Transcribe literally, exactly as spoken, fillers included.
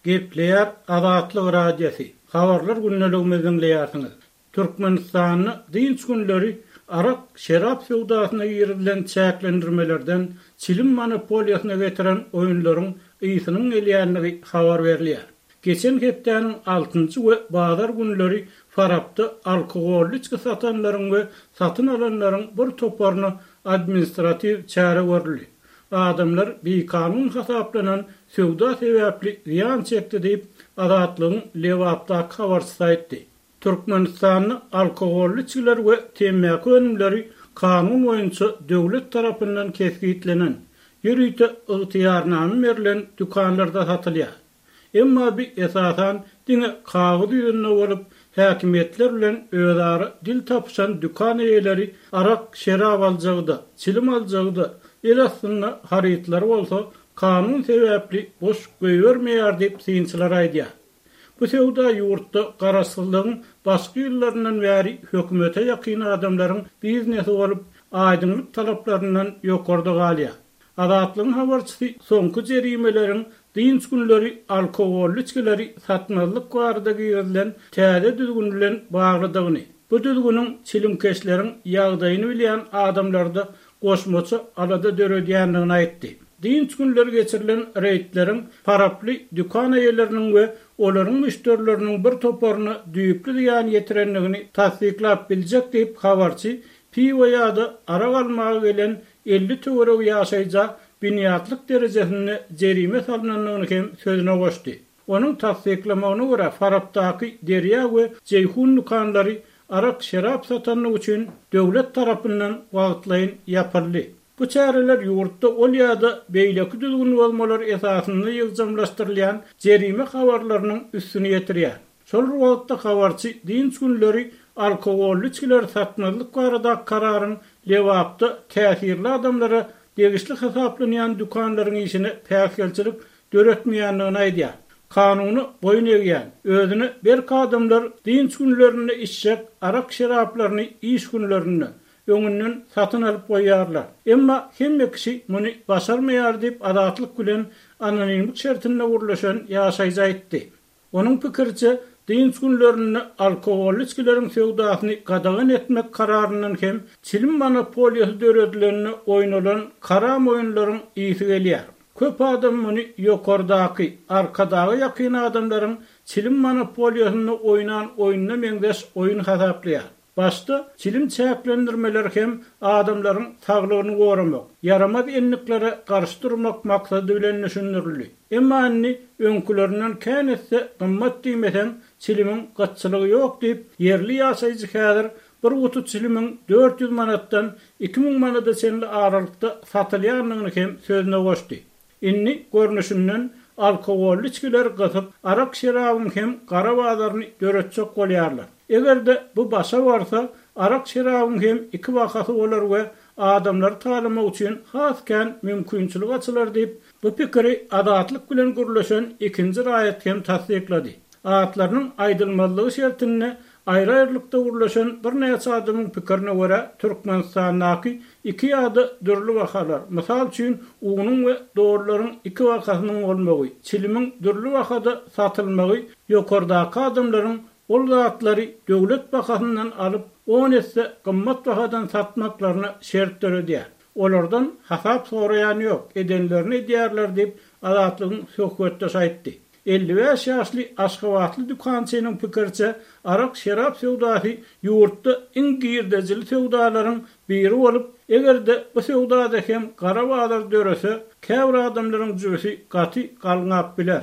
Gepleýär Azatlyk Radiosy. Habarlar gündeligimizi diňleýärsiňiz. Türkmenistanda dynç günleri arak, şerap söwdasyna girizilen çäklendirmelerden çilim monopoliýasyna getiren oýunlaryň ysynyň gelýändigi habar berilýär. Geçen hepdäniň altynjy we bazar günleri Farapda alkogolly içgi satanlaryň we satyn alanlaryň bir toparyna administratiw çäre görüldi. Adamlar bikanun hasaplanan söwda sebäpli zyýan çekdi diýip, Azatlygyň Lebapdaky habarçysy aýtdy. Türkmenistanda alkogolly içgiler we temmäki önümleri kanun boýunça döwlet tarapyndan kesgitlenen, ýörite ygtyýarnama berlen dükanlarda satylýar. Emma bu esasan diňe kagyz ýüzünde bolup, häkimiýetler bilen özara dil tapyşan dükan eýeleri arak, şerap aljagy-da, çilim aljagy-da, el astynda harytlary bolsa kanun sebäpli boş goýbermeýär diýip synçylar aýdýar. Bu söwda ýurtda garaşsyzlygyň başky ýyllaryndan bäri hökümete ýakyn adamlaryň biznesi bolup, aýdyňlyk talaplaryndan ýokarda galýar. Azatlygyň habarçysy soňky jerimeleriň dynç günleri alkogolly içgileri satmazlyk barada girizilen täze düzgün bilen baglydygyny, bu düzgüniň çilimkeşleriň ýagdaýyny bilýän adamlarda goşmaça alada döredýändigini aýtdy. Dynç günleri geçirilen reýdleriň Faraply dükan eýeleriniň we olaryň müşderileriniň bir toparyna düýpli zyýan ýetirendigini tassyklap biljek diýip habarçy piwo ýa-da arak almaga gelen elli töweregi ýaşaýja binýatlyk derejesinde jerime salnandygyny hem sözüne goşdy. Onuň tassyklamagyna görä Farapdaky Derýa we Jeýhun dükanlary arak şerap satanlygy üçin döwlet tarapyndan wagtlaýyn ýapyldy. Bu çäreler ýurtda ol ýa-da beýleki düzgün bozmalar esasynda ýygjamlaşdyrylýan jerime habarlarynyň üstüni ýetirýär. Şol bir wagtda habarçy dynç günleri alkogolly içgileri satmazlyk baradaky kararyň Lebapda täsirli adamlara degişli hasaplanýan dükanlaryň işine päsgelçilik döretmeýändigini aýdýar. Kanuna boýun egýän, özüne berk adamlar dynç günlerinde içjek arak şeraplaryny iş günlerinde öňünden satyn alyp goýýarlar. Emma hemme kişi muny başarmaýar diýip Azatlyk bilen anonimlik şertinde gürleşen ýaşaýjy aýtdy. Onuň pikiriçe dynç günlerinde alkogolly içgileriň söwdasyny gadagan etmek kararyndan hem çilim monopoliýasy döredileninde oýnalan karam oýunlaryň ysy gelýär. Köp adam muny ýokardaky, Arkadaga ýakyn adamlaryň çilim monopoliýasynda oýnan oýnuna meňzeş oýun hasaplaýar. Başda çilim çäklendirmeleri hem adamlaryň saglygyny goramak, ýaramaz endiklere garşy durmak maksady bilen düşündirildi. Emma indi öňkülerinden kän etse gymmat diýmeseň çilimiň gytçylygy ýok diýip, ýerli ýaşaýjy häzir bir guty çilimiň dört ýüz manatdan iki müň manada çenli aralykda satylýandygyny hem sözüne goşdy. Indi görnüşinden alkogolly içgileri gysyp, arak şerabyň hem gara bazaryny döretjek bolýarlar. Eger-de bu başa barsa, arak şerabyň hem iki bahasy bolar we adamlary talamak üçin has kän mümkinçilik açylar diýip, bu pikiri Azatlyk bilen gürleşen ikinji raýat hem tassyklady. Atlarynyň aýdylmazlygy şertinde aýry-aýrylykda gürleşen birnäçe adamyň pikirine görä, Türkmenistandaky iki ýa-da dürli bahalar, mysal üçin unuň we dollaryň iki bahasynyň bolmagy, çilimiň dürli bahada satylmagy ýokardaky adamlaryň ol zatlary döwlet bahasyndan alyp, on esse gymmat bahadan satmaklaryna şert döredýär. Olardan hasap soraýan ýok, edenlerini edýärler diýip, Azatlygyň söhbetdeşi aýtdy. Elli bäş ýaşly aşgabatly dükançynyň pikiriçe, arak-şerap söwdasy ýurtda iň girdejili söwdalaryň biri bolup, eger-de bu söwdada hem gara bazar dörese, käbir adamlaryň jübüsi gaty galňap biler.